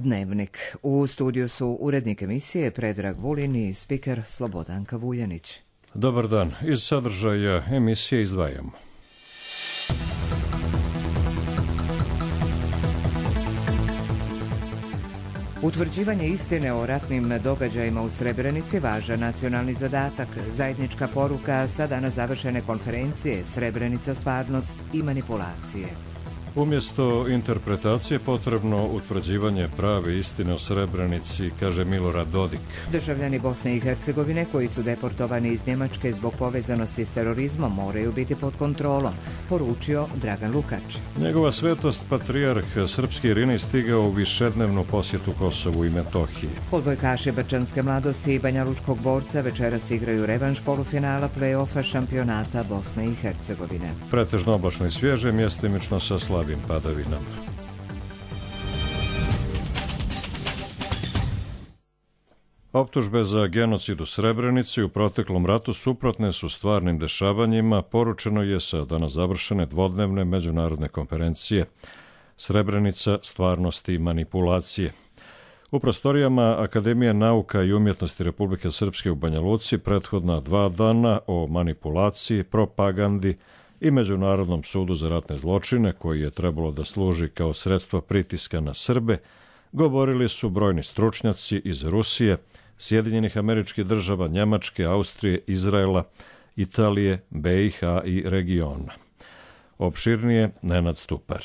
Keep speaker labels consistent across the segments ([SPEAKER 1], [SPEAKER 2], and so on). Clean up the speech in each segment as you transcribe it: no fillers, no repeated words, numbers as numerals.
[SPEAKER 1] Dnevnik. U studiju su urednik emisije Predrag Vulin i spiker Slobodanka Vuljanić.
[SPEAKER 2] Dobar dan. Iz sadržaja emisije izdvajamo.
[SPEAKER 1] Utvrđivanje istine o ratnim događajima u Srebrenici važan nacionalni zadatak. Zajednička poruka sa danas završene konferencije Srebrenica, stvarnost i manipulacije.
[SPEAKER 2] Umjesto interpretacije potrebno utvrđivanje prave istine o Srebrenici, kaže Milorad Dodik.
[SPEAKER 1] Državljani Bosne i Hercegovine koji su deportovani iz Njemačke zbog povezanosti s terorizmom moraju biti pod kontrolom, poručio Dragan Lukač.
[SPEAKER 2] Njegova svetost patrijarh srpski Irinej stigao u višednevnu posjetu Kosovu i Metohiji.
[SPEAKER 1] Odbojkaši Brčanske mladosti i Banjalučkog borca večeras igraju revanš polufinala play-offa šampionata Bosne i Hercegovine.
[SPEAKER 2] Pretežno oblačno i svježe, mjestimično sa slabim padavinama. Optužbe za genocid u Srebrenici u proteklom ratu suprotne su stvarnim dešavanjima, poručeno je sa danas završene dvodnevne međunarodne konferencije Srebrenica, stvarnost i manipulacije. U prostorijama Akademije nauka i umjetnosti Republike Srpske u Banja Luci prethodna 2 dana o manipulaciji, propagandi i Međunarodnom sudu za ratne zločine, koji je trebalo da služi kao sredstvo pritiska na Srbe, govorili su brojni stručnjaci iz Rusije, Sjedinjenih Američkih Država, Njemačke, Austrije, Izraela, Italije, BiH i regiona. Opširnije Nenad Stupar.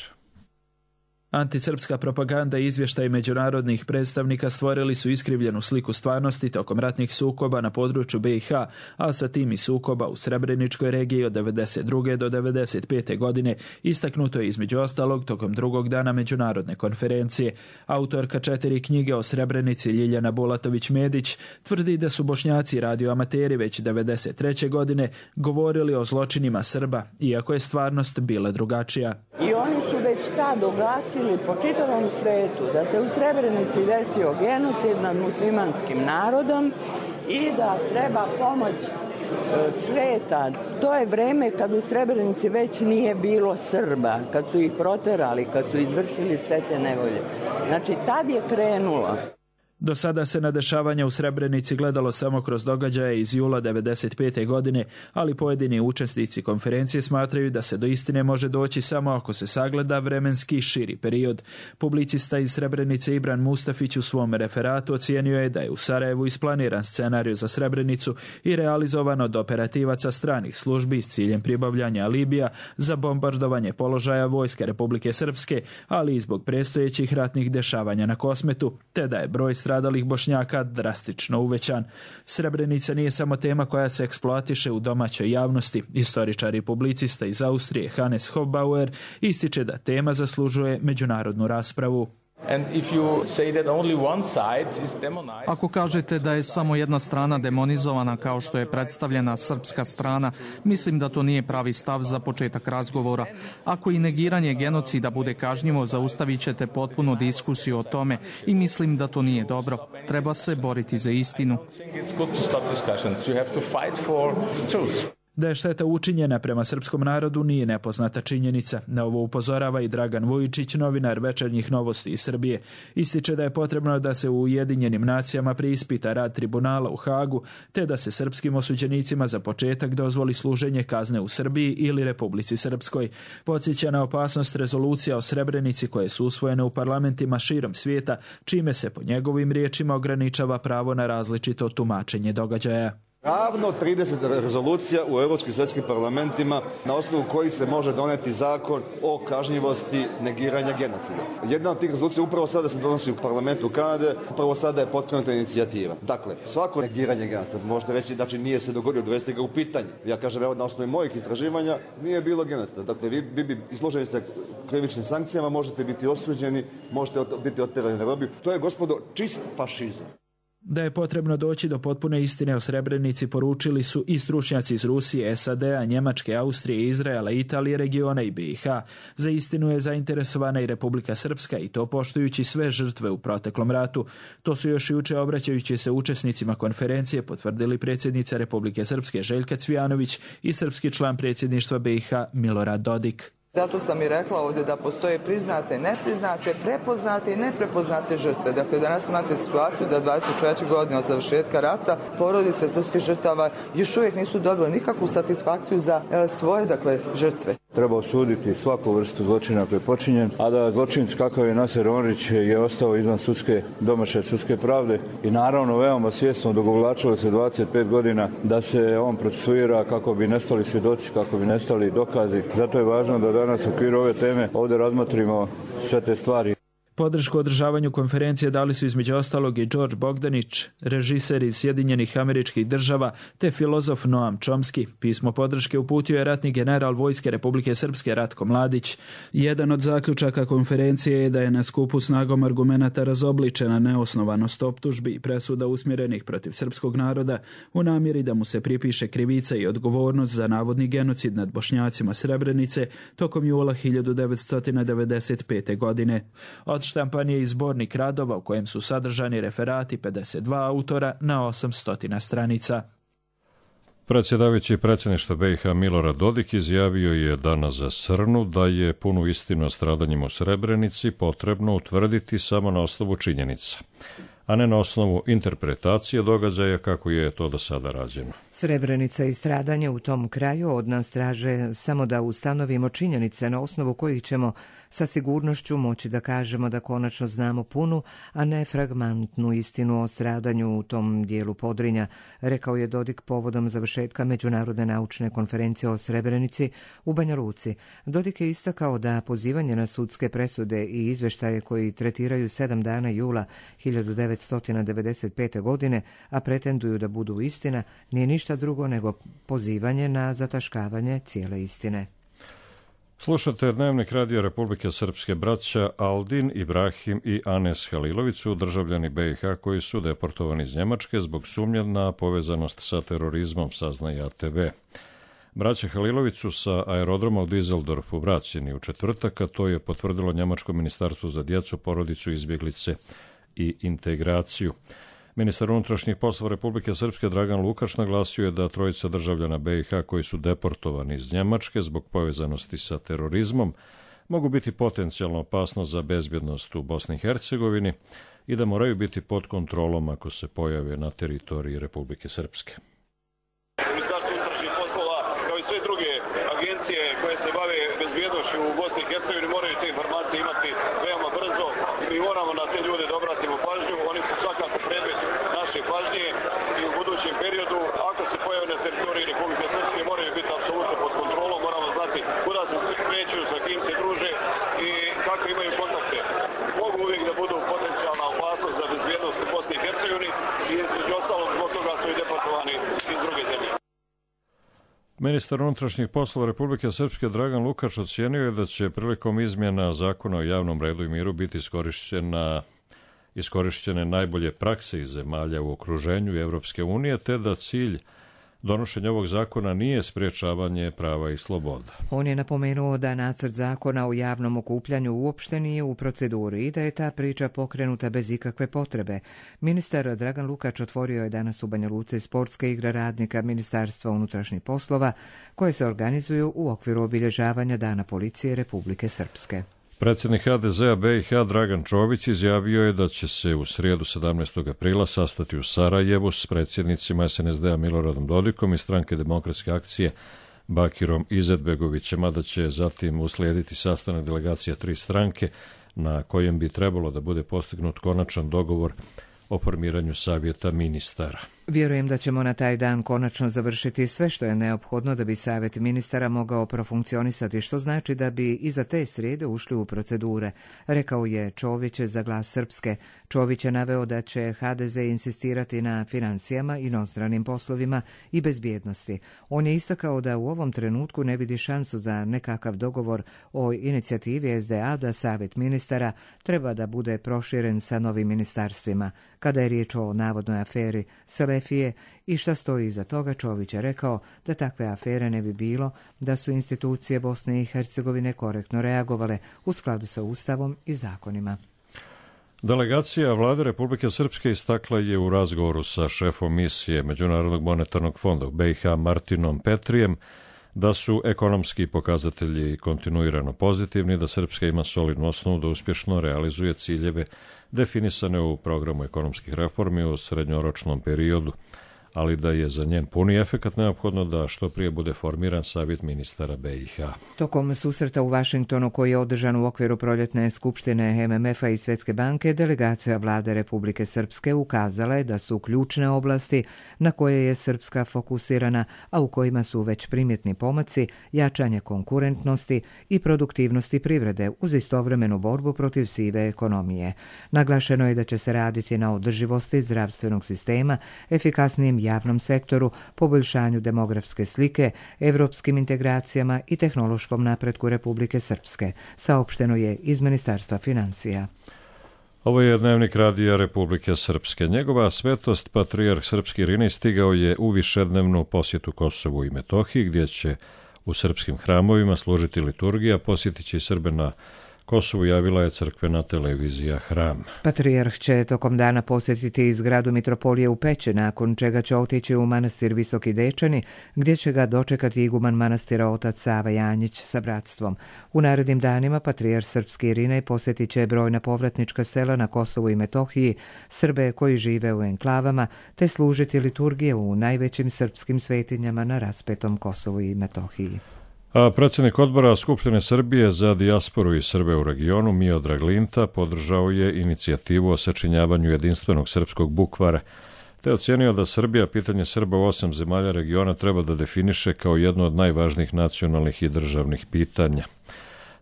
[SPEAKER 3] Antisrpska propaganda i izvještaj međunarodnih predstavnika stvorili su iskrivljenu sliku stvarnosti tokom ratnih sukoba na području BiH, a sa tim i sukoba u Srebreničkoj regiji od 1992. do 1995. godine, istaknuto je između ostalog tokom drugog dana međunarodne konferencije. Autorka 4 knjige o Srebrenici Ljiljana Bulatović-Medić tvrdi da su Bošnjaci radioamateri već 1993. godine govorili o zločinima Srba, iako je stvarnost bila drugačija.
[SPEAKER 4] I oni su već tad oglasili po čitavom svetu da se u Srebrenici desio genocid nad muslimanskim narodom i da treba pomoć sveta. To je vreme kad u Srebrenici već nije bilo Srba, kad su ih proterali, kad su izvršili sve te nevolje. Znači, tad je krenulo.
[SPEAKER 3] Do sada se na dešavanja u Srebrenici gledalo samo kroz događaje iz jula 1995. godine, ali pojedini učesnici konferencije smatraju da se do istine može doći samo ako se sagleda vremenski širi period. Publicista iz Srebrenice Ibran Mustafić u svom referatu ocijenio je da je u Sarajevu isplaniran scenarij za Srebrenicu i realizovan od operativaca stranih službi s ciljem pribavljanja alibija za bombardovanje položaja vojske Republike Srpske, ali i zbog predstojećih ratnih dešavanja na Kosmetu, te da je broj stradalih Bošnjaka drastično uvećan. Srebrenica nije samo tema koja se eksploatiše u domaćoj javnosti. Istoričar i publicista iz Austrije Hannes Hofbauer ističe da tema zaslužuje međunarodnu raspravu.
[SPEAKER 5] Ako kažete da je samo jedna strana demonizovana kao što je predstavljena srpska strana, mislim da to nije pravi stav za početak razgovora. Ako i negiranje genocida bude kažnjivo, zaustavit ćete potpuno diskusiju o tome i mislim da to nije dobro. Treba se boriti za istinu.
[SPEAKER 3] Da je šteta učinjena prema srpskom narodu nije nepoznata činjenica. Na ovo upozorava i Dragan Vujičić, novinar Večernjih novosti iz Srbije. Ističe da je potrebno da se u Ujedinjenim nacijama preispita rad tribunala u Hagu, te da se srpskim osuđenicima za početak dozvoli služenje kazne u Srbiji ili Republici Srpskoj. Podsjeća na opasnost rezolucija o Srebrenici koje su usvojene u parlamentima širom svijeta, čime se po njegovim riječima ograničava pravo na različito tumačenje događaja.
[SPEAKER 6] Ravno 30 rezolucija u europskim svjetskim parlamentima na osnovu kojih se može doneti zakon o kažnjivosti negiranja genocida. Jedna od tih rezolucija upravo sada se donosi u parlamentu Kanade, upravo sada je pokrenuta inicijativa. Dakle, svako negiranje genocida, možete reći, znači nije se dogodio, dovesti ga u pitanje. Ja kažem, evo na osnovu mojih istraživanja nije bilo genocida. Dakle, vi izloženi ste krivičnim sankcijama, možete biti osuđeni, možete biti otjerani na robiju. To je, gospodo, čist fašizam.
[SPEAKER 3] Da je potrebno doći do potpune istine o Srebrenici poručili su i stručnjaci iz Rusije, SAD-a, Njemačke, Austrije, Izraela, Italije, regiona i BiH. Za istinu je zainteresovana i Republika Srpska i to poštujući sve žrtve u proteklom ratu. To su još juče obraćajući se učesnicima konferencije potvrdili predsjednica Republike Srpske Željka Cvijanović i srpski član predsjedništva BiH Milorad Dodik.
[SPEAKER 7] Zato sam i rekla ovdje da postoje priznate, nepriznate, prepoznate i neprepoznate žrtve. Dakle, danas imate situaciju da 24 godine od završetka rata porodice srpskih žrtava još uvijek nisu dobile nikakvu satisfakciju za svoje, žrtve.
[SPEAKER 8] Treba osuditi svaku vrstu zločina koji je počinjen, a da zločinac kakav je Naser Omrić je ostao izvan domaće sudske pravde i naravno veoma svjesno dogovlačilo se 25 godina da se on procesuira kako bi nestali svjedoci, kako bi nestali dokazi. Zato je važno da danas u okviru ove teme ovdje razmotrimo sve te stvari.
[SPEAKER 3] Podršku održavanju konferencije dali su između ostalog i George Bogdanić, režiser iz Sjedinjenih Američkih Država, te filozof Noam Chomsky. Pismo podrške uputio je ratni general Vojske Republike Srpske Ratko Mladić. Jedan od zaključaka konferencije je da je na skupu snagom argumenata razobličena neosnovanost optužbi i presuda usmjerenih protiv srpskog naroda u namjeri da mu se pripiše krivica i odgovornost za navodni genocid nad Bošnjacima Srebrenice tokom jula 1995. godine. Odštampan je i zbornik radova u kojem su sadržani referati 52 autora na 800 stranica.
[SPEAKER 2] Predsjedavajući predsjedništva BiH Milorad Dodik izjavio je danas za Srnu da je punu istinu o stradanjima u Srebrenici potrebno utvrditi samo na osnovu činjenica, a ne na osnovu interpretacije događaja kako je to do sada rađeno.
[SPEAKER 1] Srebrenica i stradanje u tom kraju od nas traže samo da ustanovimo činjenice na osnovu kojih ćemo sa sigurnošću moći da kažemo da konačno znamo punu, a ne fragmentnu istinu o stradanju u tom dijelu Podrinja, rekao je Dodik povodom završetka Međunarodne naučne konferencije o Srebrenici u Banja Luci. Dodik je istakao da pozivanje na sudske presude i izveštaje koji tretiraju 7 dana jula 1995. godine, a pretenduju da budu istina, nije ništa drugo nego pozivanje na zataškavanje cijele istine.
[SPEAKER 2] Slušate Dnevnik radija Republike Srpske. Braća Aldin, Ibrahim i Anes Halilović su državljani BiH koji su deportovani iz Njemačke zbog sumnje na povezanost sa terorizmom, saznaje ATV. Braća Halilović su sa aerodroma u Düsseldorfu vraćeni u četvrtak, a to je potvrdilo Njemačko ministarstvo za djecu, porodicu, izbjeglice i integraciju. Ministar unutrašnjih poslova Republike Srpske Dragan Lukač naglasio je da trojica državljana BiH koji su deportovani iz Njemačke zbog povezanosti sa terorizmom mogu biti potencijalno opasnost za bezbjednost u Bosni i Hercegovini i da moraju biti pod kontrolom ako se pojave na teritoriji Republike Srpske.
[SPEAKER 9] Ministarstvo unutrašnjih poslova, kao i sve druge agencije koje se bave bezbjednošću u Bosni i Hercegovini, moraju te informacije imati veoma brzo i mi moramo na te ljude da obratimo pažnju. Oni su svakako predmet naše pažnje i u budućem periodu, ako se pojave na teritoriji Republike Srpske, moraju biti apsolutno pod kontrolom, moramo znati kuda se kreću, sa kim se druže i kako imaju kontakte. Mogu uvijek da budu potencijalna opasnost za bezbjednost u Bosni i Hercegovini i između ostalog zbog toga su i deportovani iz druge zemlje.
[SPEAKER 2] Ministar unutrašnjih poslova Republike Srpske Dragan Lukač ocijenio je da će prilikom izmjena zakona o javnom redu i miru biti iskorišćene najbolje prakse iz zemalja u okruženju Evropske unije, te da cilj donošenja ovog zakona nije sprječavanje prava i sloboda.
[SPEAKER 1] On je napomenuo da nacrt zakona o javnom okupljanju uopšte nije u proceduri i da je ta priča pokrenuta bez ikakve potrebe. Ministar Dragan Lukač otvorio je danas u Banja Luci sportske igre radnika Ministarstva unutrašnjih poslova koje se organizuju u okviru obilježavanja Dana policije Republike Srpske.
[SPEAKER 2] Predsjednik HDZ-a BiH Dragan Čović izjavio je da će se u srijedu 17. aprila sastati u Sarajevu s predsjednicima SNSD-a Miloradom Dodikom i Stranke demokratske akcije Bakirom Izetbegovićem, a da će zatim uslijediti sastanak delegacija 3 stranke na kojem bi trebalo da bude postignut konačan dogovor o formiranju savjeta ministara.
[SPEAKER 1] Vjerujem da ćemo na taj dan konačno završiti sve što je neophodno da bi savjet ministara mogao profunkcionisati, što znači da bi iza te srijede ušli u procedure, rekao je Čović za Glas Srpske. Čović je naveo da će HDZ insistirati na financijama, inostranim poslovima i bezbjednosti. On je istakao da u ovom trenutku ne vidi šansu za nekakav dogovor o inicijativi SDA da savjet ministara treba da bude proširen sa novim ministarstvima. Kada je riječ o navodnoj aferi Selefije i šta stoji iza toga, Čović je rekao da takve afere ne bi bilo da su institucije Bosne i Hercegovine korektno reagovale u skladu sa Ustavom i zakonima.
[SPEAKER 2] Delegacija Vlade Republike Srpske istakla je u razgovoru sa šefom misije Međunarodnog monetarnog fonda u BiH Martinom Petrijem da su ekonomski pokazatelji kontinuirano pozitivni, da Srpska ima solidnu osnovu da uspješno realizuje ciljeve definisane u programu ekonomskih reformi u srednjoročnom periodu, ali da je za njen puni efekat neophodno da što prije bude formiran savjet ministara BiH.
[SPEAKER 1] Tokom susreta u Vašingtonu koji je održan u okviru proljetne skupštine MMF-a i Svjetske banke, delegacija vlade Republike Srpske ukazala je da su ključne oblasti na koje je Srpska fokusirana, a u kojima su već primjetni pomaci, jačanje konkurentnosti i produktivnosti privrede uz istovremenu borbu protiv sive ekonomije. Naglašeno je da će se raditi na održivosti zdravstvenog sistema, efikasnijem javnom sektoru, poboljšanju demografske slike, evropskim integracijama i tehnološkom napretku Republike Srpske, saopšteno je iz Ministarstva financija.
[SPEAKER 2] Ovo je dnevnik radija Republike Srpske. Njegova svetost, patrijarh srpski Irinej, stigao je u višednevnu posjetu Kosovu i Metohiji, gdje će u srpskim hramovima služiti liturgija. Posjetit će i Srbe na Kosovu, javila je crkvena televizija Hram.
[SPEAKER 1] Patrijarh će tokom dana posjetiti zgradu mitropolije u Peći, nakon čega će otići u manastir Visoki Dečani, gdje će ga dočekati iguman manastira otac Sava Janjić sa bratstvom. U narednim danima patrijarh srpski Irinej posjetit će brojna povratnička sela na Kosovu i Metohiji, Srbe koji žive u enklavama, te služiti liturgije u najvećim srpskim svetinjama na raspetom Kosovu i Metohiji.
[SPEAKER 2] A predsjednik odbora Skupštine Srbije za dijasporu i Srbe u regionu, Miodrag Linta, podržao je inicijativu o sačinjavanju jedinstvenog srpskog bukvara, te ocenio da Srbija pitanje Srba u 8 zemalja regiona treba da definiše kao jedno od najvažnijih nacionalnih i državnih pitanja.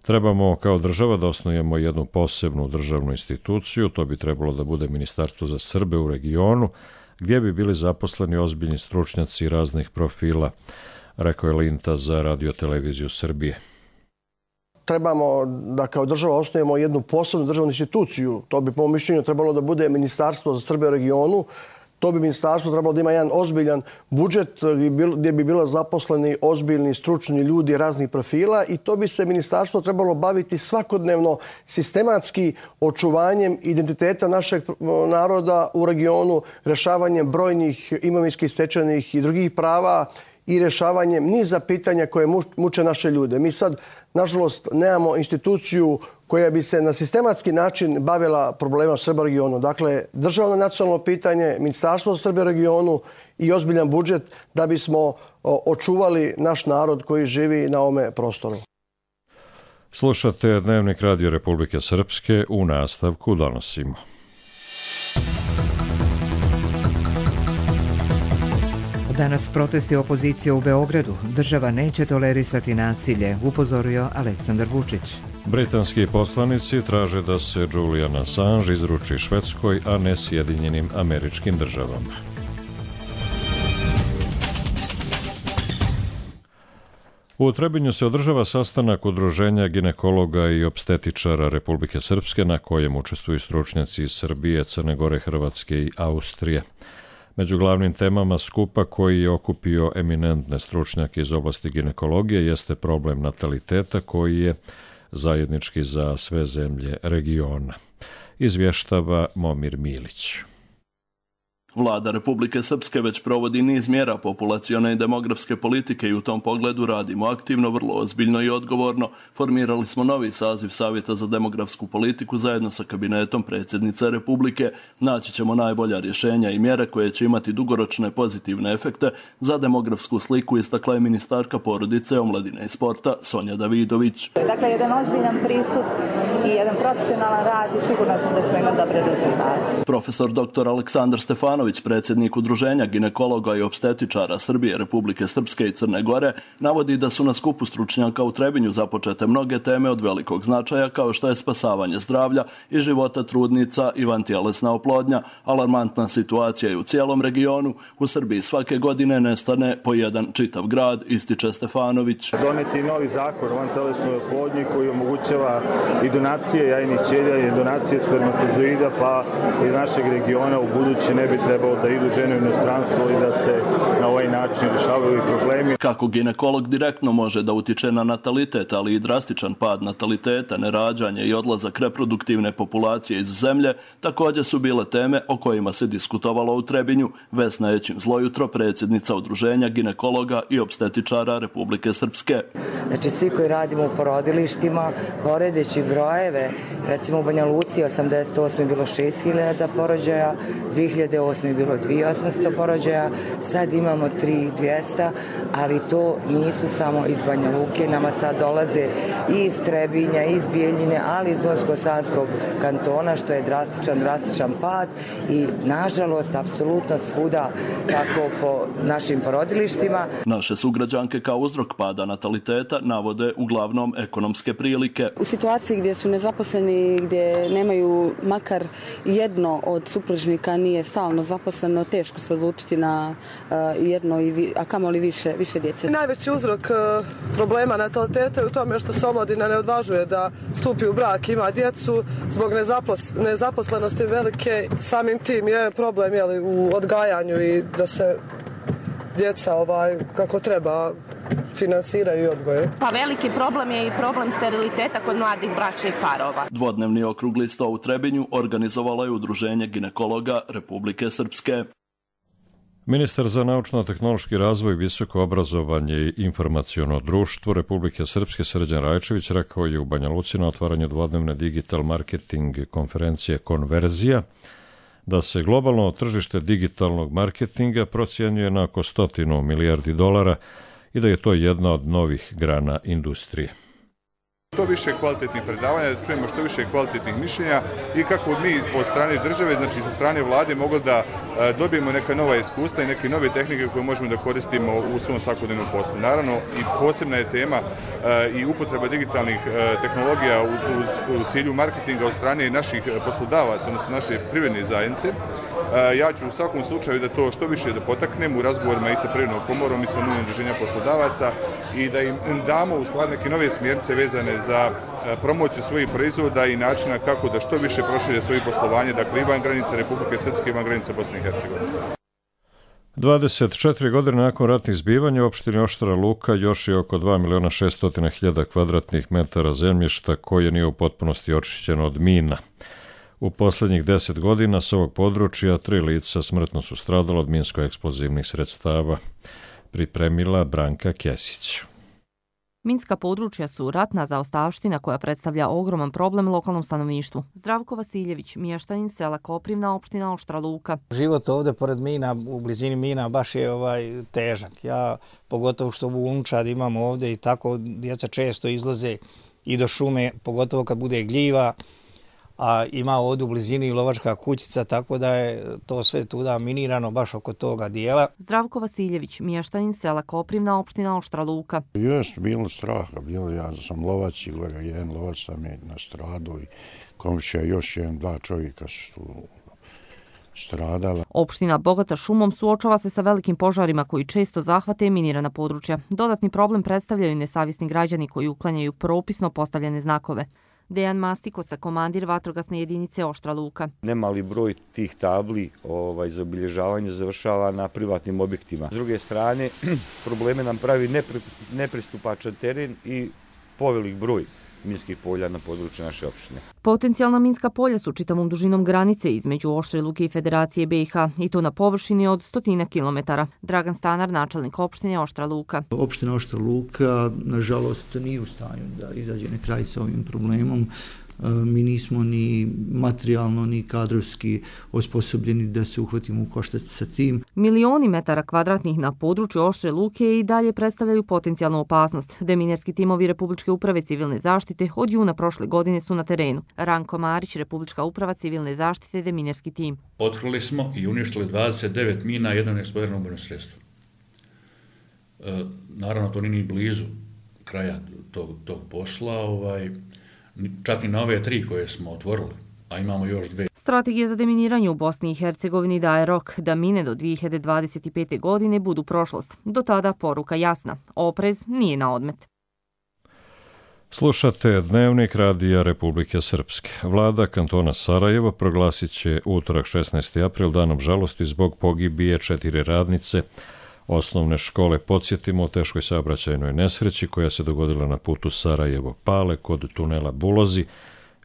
[SPEAKER 2] Trebamo kao država da osnujemo jednu posebnu državnu instituciju, to bi trebalo da bude Ministarstvo za Srbe u regionu, gdje bi bili zaposleni ozbiljni stručnjaci raznih profila, rekao je Linta za radioteleviziju Srbije.
[SPEAKER 10] Trebamo da kao država osnujemo jednu posebnu državnu instituciju. To bi po mom mišljenju trebalo da bude Ministarstvo za Srbe u regionu. To bi ministarstvo trebalo da ima jedan ozbiljan budžet gdje bi bilo zaposleni ozbiljni stručni ljudi raznih profila i to bi se ministarstvo trebalo baviti svakodnevno sistematski očuvanjem identiteta našeg naroda u regionu, rješavanjem brojnih imovinskih, stečajnih i drugih prava i rješavanjem niza pitanja koje muče naše ljude. Mi sad, nažalost, nemamo instituciju koja bi se na sistematski način bavila problema Srba u regionu. Dakle, državno nacionalno pitanje, Ministarstvo za Srbe u regionu i ozbiljan budžet da bismo očuvali naš narod koji živi na ovome prostoru.
[SPEAKER 2] Slušate dnevnik Radio Republike Srpske, u nastavku donosimo.
[SPEAKER 1] Danas protesti opozicije u Beogradu. Država neće tolerisati nasilje, upozorio Aleksandar Vučić.
[SPEAKER 2] Britanski poslanici traže da se Julian Assange izruči Švedskoj, a ne Sjedinjenim Američkim Državama. U Trebinju se održava sastanak Udruženja ginekologa i opstetičara Republike Srpske, na kojem učestvuju stručnjaci iz Srbije, Crne Gore, Hrvatske i Austrije. Među glavnim temama skupa koji je okupio eminentne stručnjake iz oblasti ginekologije jeste problem nataliteta koji je zajednički za sve zemlje regiona. Izvještava Momir Milić.
[SPEAKER 11] Vlada Republike Srpske već provodi niz mjera populacione i demografske politike i u tom pogledu radimo aktivno, vrlo ozbiljno i odgovorno. Formirali smo novi saziv Savjeta za demografsku politiku zajedno sa kabinetom predsjednice Republike. Naći ćemo najbolja rješenja i mjere koje će imati dugoročne pozitivne efekte za demografsku sliku, istakla je ministarka porodice, omladine i sporta Sonja Davidović.
[SPEAKER 12] Dakle, jedan ozbiljan pristup i jedan profesionalan rad i sigurna sam da ćemo imati dobre rezultate.
[SPEAKER 11] Profesor dr. Aleksandar Stefanović, predsjednik Udruženja ginekologa i opstetičara Srbije, Republike Srpske i Crne Gore, navodi da su na skupu stručnjaka u Trebinju započete mnoge teme od velikog značaja, kao što je spasavanje zdravlja i života trudnica i vantjelesna oplodnja. Alarmantna situacija je u cijelom regionu. U Srbiji svake godine nestane po jedan čitav grad, ističe Stefanović.
[SPEAKER 13] Doneti novi zakon o vantjelesnoj oplodnji koji omogućava i donacije jajnih ćelija i donacije spermatozoida, pa iz našeg regiona u buduće ne bi trebalo da idu žene u inostranstvo i da se na ovaj način rješavaju problemi.
[SPEAKER 11] Kako ginekolog direktno može da utiče na natalitet, ali i drastičan pad nataliteta, nerađanje i odlazak reproduktivne populacije iz zemlje, također su bile teme o kojima se diskutovalo u Trebinju. Vesna Ećim Zlojutro, predsjednica Udruženja ginekologa i opstetičara Republike Srpske.
[SPEAKER 14] Znači svi koji radimo u porodilištima, poredeći brojeve, recimo u Banja Luci 88. je bilo 6000 porođaja, 2008. je bilo 2800 porođaja, sad imamo 3200, ali to nisu samo iz Banja Luke, nama sad dolaze i iz Trebinja, i iz Bijeljine, ali iz Unsko-Sanskog kantona, što je drastičan pad i nažalost apsolutno svuda tako po našim porodilištima.
[SPEAKER 11] Naše sugrađanke kao uzrok pada nataliteta navode uglavnom ekonomske prilike.
[SPEAKER 15] U situaciji gdje su nezaposleni, gdje nemaju makar jedno od supružnika nije stalno zaposleno, teško se odlučiti na jedno, a kamoli više djece.
[SPEAKER 16] Najveći uzrok problema nataliteta je u tome što se omladina ne odvažuje da stupi u brak, ima djecu zbog nezaposlenosti velike. Samim tim je problem u odgajanju i da se djeca kako treba finansiraju i odgoje.
[SPEAKER 17] Pa veliki problem je i problem steriliteta kod mladih bračnih parova.
[SPEAKER 11] Dvodnevni okrugli sto u Trebinju organizovalo je Udruženje ginekologa Republike Srpske.
[SPEAKER 2] Ministar za naučno-tehnološki razvoj, visoko obrazovanje i informaciono društvo Republike Srpske Srđan Rajčević rekao je u Banja Luci na otvaranju dvodnevne digital marketing konferencije Konverzija da se globalno tržište digitalnog marketinga procjenjuje na oko 100 milijardi dolara i da je to jedna od novih grana industrije.
[SPEAKER 18] Što više kvalitetnih predavanja, da čujemo što više kvalitetnih mišljenja i kako mi od strane države, znači sa strane vlade, mogli da dobijemo neka nova iskustva i neke nove tehnike koje možemo da koristimo u svom svakodnevnom poslu. Naravno, i posebna je tema i upotreba digitalnih tehnologija u cilju marketinga od strane naših poslodavaca, odnosno naše privredne zajednice. Ja ću u svakom slučaju da to što više da potaknem u razgovorima i sa Privrednom komorom i sa Unijom udruženja poslodavaca i da im damo u stvari neke nove smjernice vezane za promociju svojih proizvoda i načina kako da što više prošire svoje poslovanje, dakle i van granice Republike Srpske i van granice Bosne i Hercegovine.
[SPEAKER 2] 24 godine nakon ratnih zbivanja u opštini Oštara Luka još je oko 2.600.000 kvadratnih metara zemljišta koje nije u potpunosti očišćeno od mina. U posljednjih 10 godina s ovog područja 3 lica smrtno su stradala od minsko-eksplozivnih sredstava, pripremila Branka Kesić.
[SPEAKER 19] Minska područja su ratna zaostavština koja predstavlja ogroman problem lokalnom stanovništvu. Zdravko Vasiljević, mještanin sela Koprivna, opština Oštra Luka.
[SPEAKER 20] Život ovdje pored mina, u blizini mina, baš je težak. Ja, pogotovo što u Unčad imamo ovdje i tako, djeca često izlaze i do šume, pogotovo kad bude gljiva, a ima ovdje u blizini lovačka kućica, tako da je to sve tuda minirano baš oko toga dijela.
[SPEAKER 19] Zdravko Vasiljević, mještanin sela Koprivna, opština Oštra Luka.
[SPEAKER 21] Jest bilo straha, ja sam lovac i jedan lovac sam je nastradao i komšija još dva čovjeka su stradala.
[SPEAKER 19] Opština bogata šumom suočava se sa velikim požarima koji često zahvate minirana područja. Dodatni problem predstavljaju nesavjesni građani koji uklanjaju propisno postavljene znakove. Dejan Mastikosa, komandir vatrogasne jedinice Oštra Luka.
[SPEAKER 22] Nemali broj tih tabli za obilježavanje završava na privatnim objektima. S druge strane, probleme nam pravi nepristupačan teren i povelik broj minskih polja na području naše opštine.
[SPEAKER 19] Potencijalna minska polja su čitavom dužinom granice između Oštre Luke i Federacije BiH i to na površini od 100 kilometara. Dragan Stanar, načelnik opštine Oštra Luka.
[SPEAKER 23] Opština Oštra Luka, nažalost, nije u stanju da izađe na kraj sa ovim problemom. Mi nismo ni materijalno ni kadrovski osposobljeni da se uhvatimo u koštac sa tim.
[SPEAKER 19] Milioni metara kvadratnih na području Oštre Luke i dalje predstavljaju potencijalnu opasnost. Deminerski timovi Republičke uprave civilne zaštite od juna prošle godine su na terenu. Ranko Marić, Republička uprava civilne zaštite, Deminerski tim.
[SPEAKER 24] Otkrili smo i uništili 29 mina, jedno neeksplodirano ubojno sredstvo. Naravno, to nije ni blizu kraja tog posla, čak i na ove 3 koje smo otvorili, a imamo još 2.
[SPEAKER 19] Strategija za deminiranje u Bosni i Hercegovini daje rok da mine do 2025. godine budu prošlost. Do tada poruka jasna. Oprez nije na odmet.
[SPEAKER 2] Slušate Dnevnik radija Republike Srpske. Vlada kantona Sarajevo proglasit će utorak 16. april danom žalosti zbog pogibije 4 radnice osnovne škole. Podsjetimo o teškoj saobraćajnoj nesreći koja se dogodila na putu Sarajevo-Pale kod tunela Bulozi.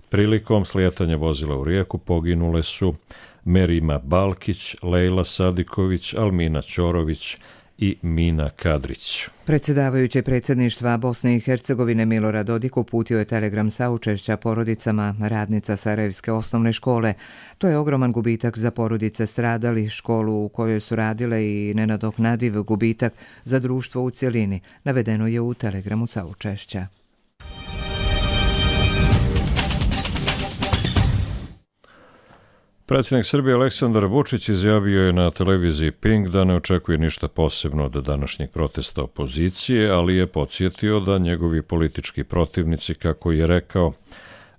[SPEAKER 2] Prilikom slijetanja vozila u rijeku poginule su Merima Balkić, Lejla Sadiković, Almina Ćorović i Mina Kadrić.
[SPEAKER 1] Predsjedavajući predsjedništva Bosne i Hercegovine Milorad Dodik uputio je telegram saučešća porodicama radnica Sarajevske osnovne škole. To je ogroman gubitak za porodice stradali, školu u kojoj su radile i nenadoknadiv gubitak za društvo u cjelini, navedeno je u telegramu saučešća.
[SPEAKER 2] Predsjednik Srbije Aleksandar Vučić izjavio je na televiziji Pink da ne očekuje ništa posebno od današnjeg protesta opozicije, ali je podsjetio da njegovi politički protivnici, kako je rekao,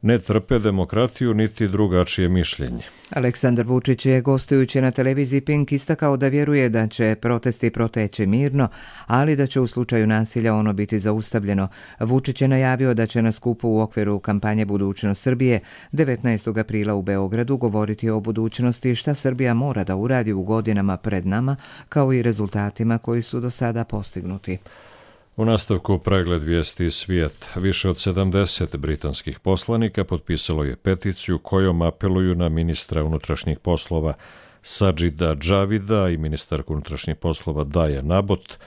[SPEAKER 2] ne trpe demokratiju niti drugačije mišljenje.
[SPEAKER 1] Aleksandar Vučić je gostujući na televiziji Pink istakao da vjeruje da će protesti proteći mirno, ali da će u slučaju nasilja ono biti zaustavljeno. Vučić je najavio da će na skupu u okviru kampanje Budućnost Srbije 19. aprila u Beogradu govoriti o budućnosti šta Srbija mora da uradi u godinama pred nama, kao i rezultatima koji su do sada postignuti.
[SPEAKER 2] U nastavku pregled vijesti iz svijeta. Više od 70 britanskih poslanika potpisalo je peticiju kojom apeluju na ministra unutrašnjih poslova Sajida Javida i ministarku unutrašnjih poslova Daje Nabot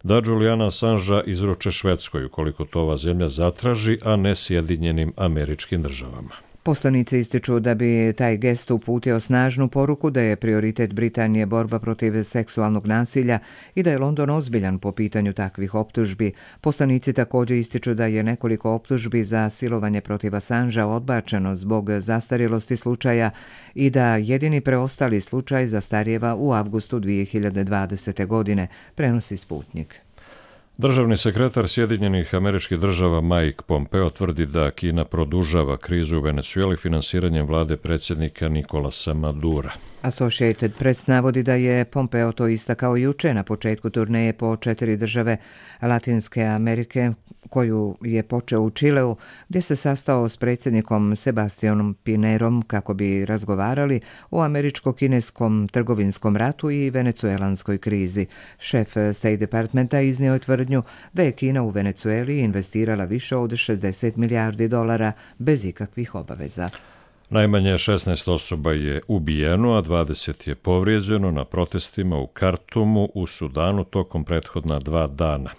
[SPEAKER 2] da Juliana Assangea izruče Švedskoj ukoliko to ova zemlja zatraži, a ne Sjedinjenim Američkim Državama.
[SPEAKER 1] Poslanici ističu da bi taj gest uputio snažnu poruku da je prioritet Britanije borba protiv seksualnog nasilja i da je London ozbiljan po pitanju takvih optužbi. Poslanici također ističu da je nekoliko optužbi za silovanje protiv Assangea odbačeno zbog zastarjelosti slučaja i da jedini preostali slučaj zastarijeva u avgustu 2020. godine, prenosi Sputnik.
[SPEAKER 2] Državni sekretar Sjedinjenih Američkih Država Mike Pompeo tvrdi da Kina produžava krizu u Venecueli finansiranjem vlade predsjednika Nicolasa Madura.
[SPEAKER 1] Associated Press navodi da je Pompeo to istakao juče na početku turneje po 4 države Latinske Amerike, koju je počeo u Čileu, gdje se sastao s predsjednikom Sebastianom Pinerom kako bi razgovarali o američko-kineskom trgovinskom ratu i venecuelanskoj krizi. Šef State Departmenta iznio je tvrdnju da je Kina u Venecueli investirala više od $60 milijardi bez ikakvih obaveza.
[SPEAKER 2] Najmanje 16 osoba je ubijeno, a 20 je povrijeđeno na protestima u Kartumu u Sudanu tokom prethodna 2 dana.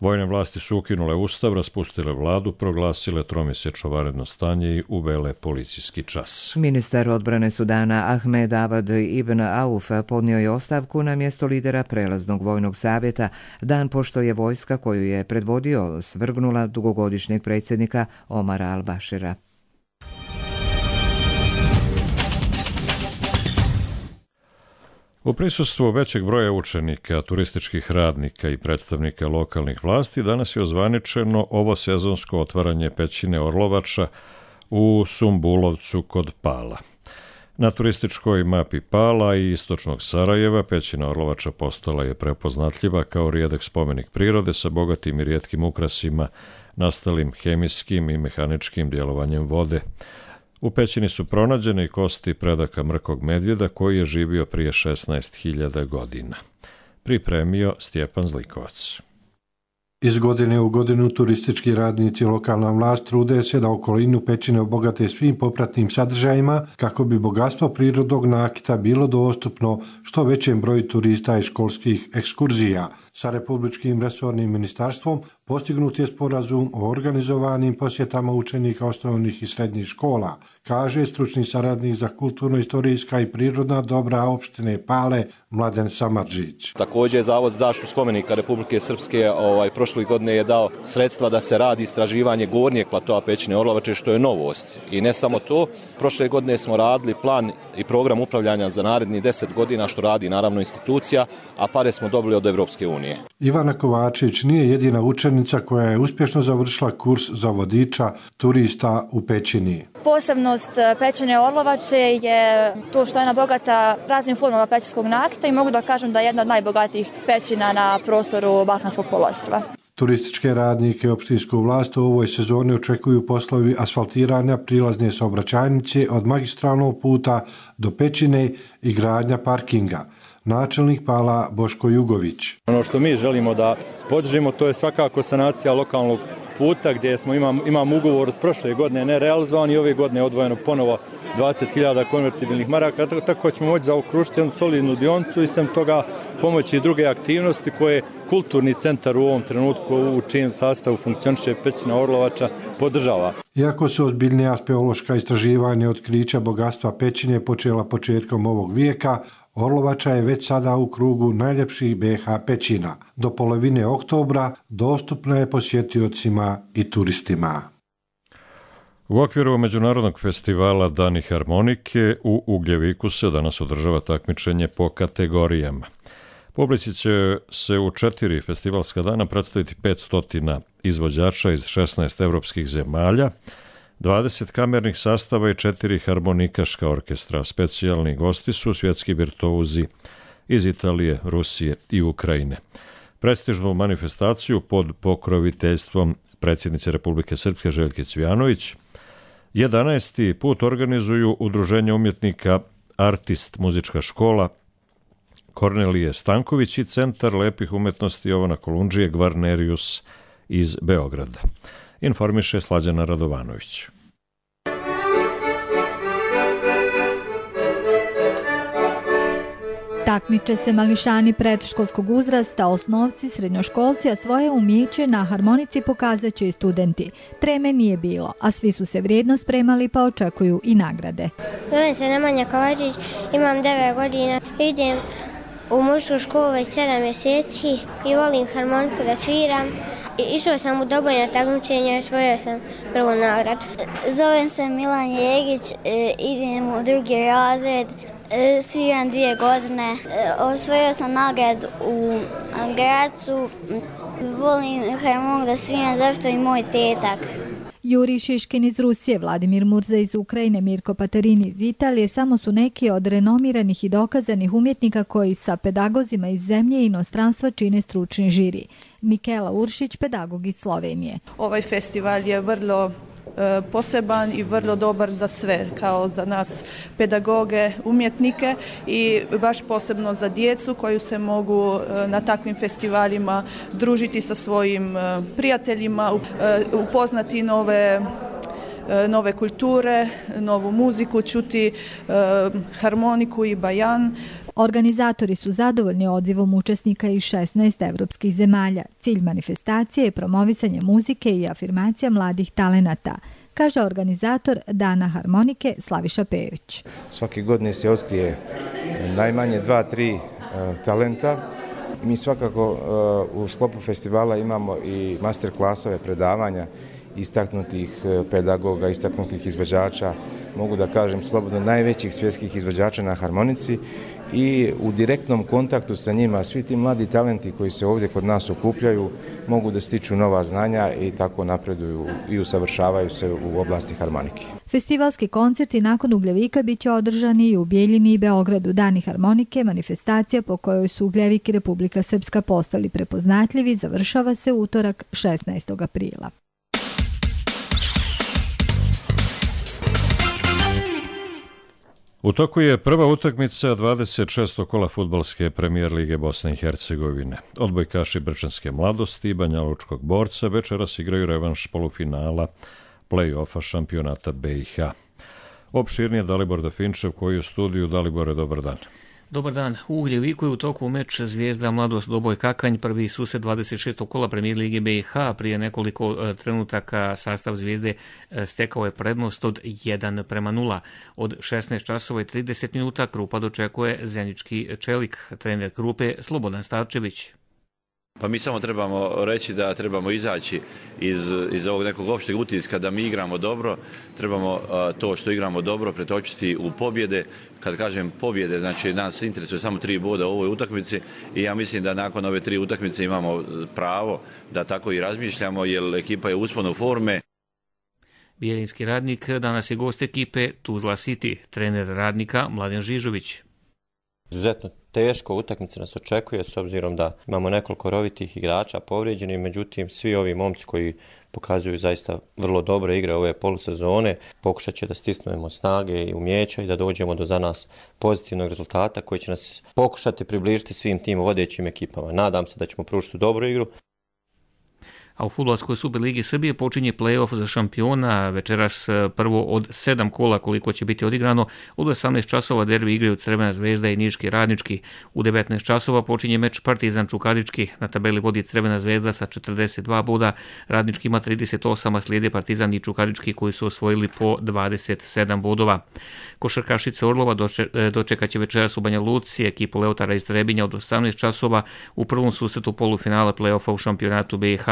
[SPEAKER 2] Vojne vlasti su ukinule ustav, raspustile vladu, proglasile tromjesečno vanredno stanje i uvele policijski čas.
[SPEAKER 1] Ministar odbrane Sudana Ahmed Abad Ibn Auf podnio je ostavku na mjesto lidera prelaznog vojnog savjeta, dan pošto je vojska koju je predvodio svrgnula dugogodišnjeg predsjednika Omara al-Bashira.
[SPEAKER 2] U prisustvu većeg broja učenika, turističkih radnika i predstavnika lokalnih vlasti danas je ozvaničeno ovo sezonsko otvaranje pećine Orlovača u Sumbulovcu kod Pala. Na turističkoj mapi Pala i istočnog Sarajeva pećina Orlovača postala je prepoznatljiva kao rijedak spomenik prirode sa bogatim i rijetkim ukrasima, nastalim hemijskim i mehaničkim djelovanjem vode. U pećini su pronađene i kosti predaka mrkog medvjeda koji je živio prije 16.000 godina. Pripremio Stjepan Zlikovac.
[SPEAKER 4] Iz godine u godinu turistički radnici i lokalna vlast trude se da okolinu pećine obogate svim popratnim sadržajima kako bi bogatstvo prirodnog nakita bilo dostupno što većem broju turista i školskih ekskurzija. Sa Republičkim resornim ministarstvom postignut je sporazum o organizovanim posjetama učenika osnovnih i srednjih škola, kaže stručni saradnik za kulturno-istorijska i prirodna dobra opštine Pale Mladen Samardžić.
[SPEAKER 5] Također Zavod za zaštitu spomenika Republike Srpske prošle godine je dao sredstva da se radi istraživanje gornjeg platoa pećine Orlovače, što je novost. I ne samo to, prošle godine smo radili plan i program upravljanja za naredni 10 godina, što radi naravno institucija, a pare smo dobili od Evropske unije.
[SPEAKER 4] Ivana Kovačević nije jedina učenica koja je uspješno završila kurs za vodiča turista u pećini.
[SPEAKER 6] Posebnost pećine Orlovače je to što je ona bogata raznim formama pećinskog nakita i mogu da kažem da je jedna od najbogatijih pećina na prostoru Balkanskog poluostrva.
[SPEAKER 4] Turističke radnike i opštinsku vlast u ovoj sezoni očekuju poslovi asfaltiranja prilazne saobraćajnice od magistralnog puta do Pećine i gradnja parkinga. Načelnik Pala Boško Jugović.
[SPEAKER 3] Ono što mi želimo da podržimo, to je svakako sanacija lokalnog puta gdje imamo ugovor od prošle godine nerealizovan i ove godine odvojeno ponovo 20.000 konvertibilnih maraka, tako ćemo moći zaokružiti jednu solidnu dionicu i sem toga pomoći druge aktivnosti koje kulturni centar u ovom trenutku u čijem sastavu funkcioniše Pećina Orlovača podržava.
[SPEAKER 4] Iako su ozbiljnija speološka istraživanja otkrića bogatstva Pećine počela početkom ovog vijeka, Orlovača je već sada u krugu najljepših BiH pećina. Do polovine oktobra dostupna je posjetiocima i turistima.
[SPEAKER 2] U okviru Međunarodnog festivala Dani harmonike u Ugljeviku se danas održava takmičenje po kategorijama. Publici će se u 4 festivalska dana predstaviti 500 izvođača iz 16 evropskih zemalja, 20 kamernih sastava i 4 harmonikaška orkestra. Specijalni gosti su svjetski virtuozi iz Italije, Rusije i Ukrajine. Prestižnu manifestaciju pod pokroviteljstvom predsjednice Republike Srpske Željke Cvijanović 11. put organizuju Udruženje umjetnika Artist muzička škola Kornelije Stanković i Centar lepih umjetnosti Jovana Kolundžije Gvarnerius iz Beograda. Informiše Slađana Radovanović.
[SPEAKER 7] Takmiče se mališani predškolskog uzrasta, osnovci, srednjoškolci, a svoje umjeće na harmonici pokazat će i studenti. Treme nije bilo, a svi su se vrijedno spremali pa očekuju i nagrade.
[SPEAKER 8] Zovem se Nemanja Kovačić, imam 9 godina, idem u mušku školu već 7 mjeseci i volim harmoniku da sviram. Išao sam u dobojna takmičenja i osvojio sam prvu nagradu.
[SPEAKER 9] Zovem se Milan Jegić, idem u 2. razred. Sviram 2 godine, osvojio sam nagradu u Gracu, volim harmoniku da sviram zašto i moj tetak.
[SPEAKER 7] Juri Šiškin iz Rusije, Vladimir Murza iz Ukrajine, Mirko Paterini iz Italije samo su neki od renomiranih i dokazanih umjetnika koji sa pedagozima iz zemlje i inostranstva čine stručni žiri. Mikela Uršić, pedagog iz Slovenije.
[SPEAKER 25] Ovaj festival je vrlo poseban i vrlo dobar za sve, kao za nas pedagoge, umjetnike i baš posebno za djecu koju se mogu na takvim festivalima družiti sa svojim prijateljima, upoznati nove kulture, novu muziku, čuti harmoniku i bajan.
[SPEAKER 7] Organizatori su zadovoljni odzivom učesnika iz 16 evropskih zemalja. Cilj manifestacije je promovisanje muzike i afirmacija mladih talenata, kaže organizator Dana harmonike Slaviša Perić.
[SPEAKER 26] Svake godine se otkrije najmanje 2-3 talenta. Mi svakako u sklopu festivala imamo i master klasove predavanja istaknutih pedagoga, istaknutih izvođača, mogu da kažem slobodno najvećih svjetskih izvođača na harmonici i u direktnom kontaktu sa njima svi ti mladi talenti koji se ovdje kod nas okupljaju mogu da stiču nova znanja i tako napreduju i usavršavaju se u oblasti harmonike.
[SPEAKER 7] Festivalski koncerti nakon Ugljevika bit će održani i u Bijeljini i Beogradu. Dani harmonike, manifestacija po kojoj su Ugljevik i Republika Srpska postali prepoznatljivi, završava se utorak 16. aprila.
[SPEAKER 2] U toku je prva utakmica 26. kola fudbalske premijer lige Bosne i Hercegovine. Odbojkaši Brčanske mladosti i Banjalučkog borca večeras igraju revanš polufinala play-offa šampionata BiH. Opširnije Dalibor Dafinčev koji je u studiju. Dalibore, dobar dan.
[SPEAKER 27] Dobar dan. U Ugljeviku je u toku meč Zvijezda Mladost Doboj Kakanj, prvi susret 26. kola premijer lige BiH. Prije nekoliko trenutaka sastav Zvijezde stekao je prednost od 1:0. Od 16 časova i 30 minuta Krupa dočekuje Zenički Čelik, trener Krupe Slobodan Stavčević.
[SPEAKER 28] Pa mi samo trebamo reći da trebamo izaći iz ovog nekog opšteg utiska da mi igramo dobro, trebamo to što igramo dobro pretočiti u pobjede. Kad kažem pobjede, znači nas interesuje samo 3 boda u ovoj utakmici i ja mislim da nakon ove 3 utakmice imamo pravo da tako i razmišljamo jer ekipa je u usponu forme.
[SPEAKER 27] Bijeljinski Radnik danas je gost ekipe Tuzla City, trener Radnika Mladen Žižović.
[SPEAKER 10] Izuzetno teško utakmica nas očekuje s obzirom da imamo nekoliko rovitih igrača povrijeđenih, međutim svi ovi momci koji pokazuju zaista vrlo dobre igre ove polusezone, pokušat će da stisnemo snage i umijeća i da dođemo do za nas pozitivnog rezultata koji će nas pokušati približiti svim tim vodećim ekipama. Nadam se da ćemo pružiti dobru igru.
[SPEAKER 27] A u Fudbalskoj Superligi Srbije počinje play-off za šampiona. Večeras prvo od 7 kola koliko će biti odigrano. Od 18 časova derbi igraju Crvena Zvezda i Niški Radnički. U 19 časova počinje meč Partizan Čukarički. Na tabeli vodi Crvena Zvezda sa 42 boda. Radnički ima 38, a slijede Partizan i Čukarički koji su osvojili po 27 bodova. Košarkašice Orlova dočekat će večeras u Banja Luci ekipu Leotara iz Trebinja od 18 časova u prvom susretu polufinala play-offa u šampionatu BiH.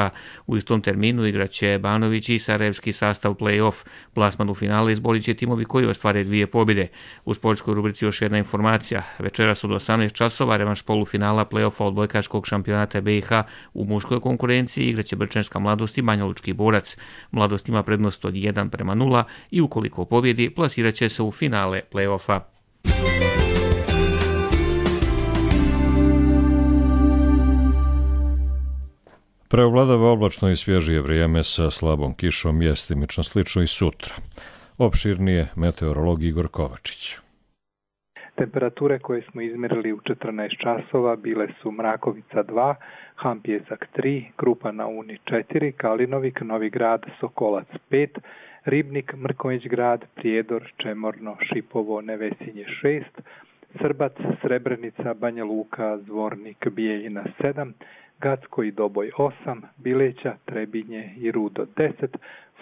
[SPEAKER 27] U istom terminu igraće Banović i sarajevski sastav play-off. Plasman u finale izborit će timovi koji ostvare 2 pobjede. U sportskoj rubrici još jedna informacija. Večeras od 18 časova revanš polufinala play-offa odbojkaškog šampionata BiH u muškoj konkurenciji igraće Brčanska Mladost i Banjalučki Borac. Mladost ima prednost od 1:0 i ukoliko pobjedi plasirat će se u finale play-offa.
[SPEAKER 2] Preovladava oblačno i svježije vrijeme sa slabom kišom, mjestimično slično i sutra. Opširnije meteorolog Igor Kovačić.
[SPEAKER 11] Temperature koje smo izmjerili u 14 časova bile su Mrakovica 2, Hampjesak 3, Krupa na Uni 4, Kalinovik, Novi Grad, Sokolac 5, Ribnik, Mrkonjić Grad, Prijedor, Čemorno, Šipovo, Nevesinje 6, Srbac, Srebrenica, Banja Luka, Zvornik, Bijeljina 7, Gacko i Doboj 8, Bileća, Trebinje i Rudo 10,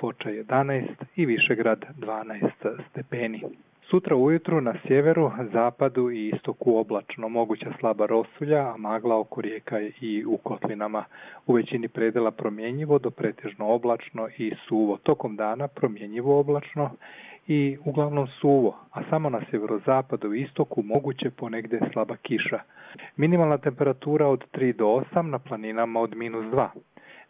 [SPEAKER 11] Foča 11 i Višegrad 12 stepeni. Sutra ujutru na sjeveru, zapadu i istoku oblačno, moguća slaba rosulja, a magla oko rijeka i u kotlinama. U većini predela promjenjivo do pretežno oblačno i suvo. Tokom dana promjenjivo oblačno i uglavnom suvo, a samo na sjeverozapadu i istoku moguće ponegdje slaba kiša. Minimalna temperatura od 3 do 8, na planinama od -2.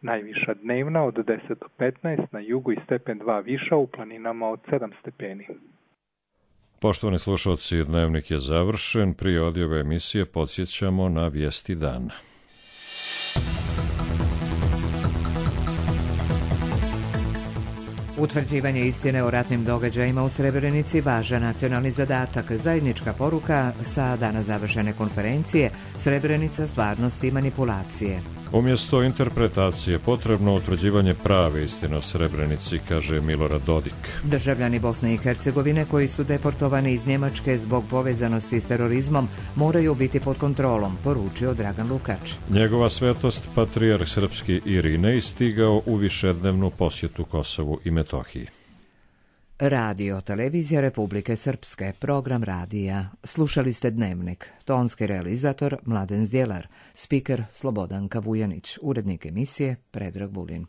[SPEAKER 11] Najviša dnevna od 10 do 15, na jugu i stepen 2 viša, u planinama od 7 stepeni.
[SPEAKER 2] Poštovani slušalci, dnevnik je završen. Prije odjave emisije podsjećamo na vijesti dana.
[SPEAKER 1] Utvrđivanje istine o ratnim događajima u Srebrenici važan nacionalni zadatak. Zajednička poruka sa dana završene konferencije Srebrenica, stvarnost i manipulacije.
[SPEAKER 2] Umjesto interpretacije potrebno utvrđivanje prave istine o Srebrenici, kaže Milorad Dodik.
[SPEAKER 1] Državljani Bosne i Hercegovine koji su deportovani iz Njemačke zbog povezanosti s terorizmom moraju biti pod kontrolom, poručio Dragan Lukač.
[SPEAKER 2] Njegova svetost, patrijarh srpski Irinej, stigao u višednevnu posjetu Kosovu i Metohiji.
[SPEAKER 1] Radio Televizija Republike Srpske, program radija. Slušali ste Dnevnik. Tonski realizator Mladen Zdjelar, spiker Slobodanka Vujanić, urednik emisije Predrag Vulin.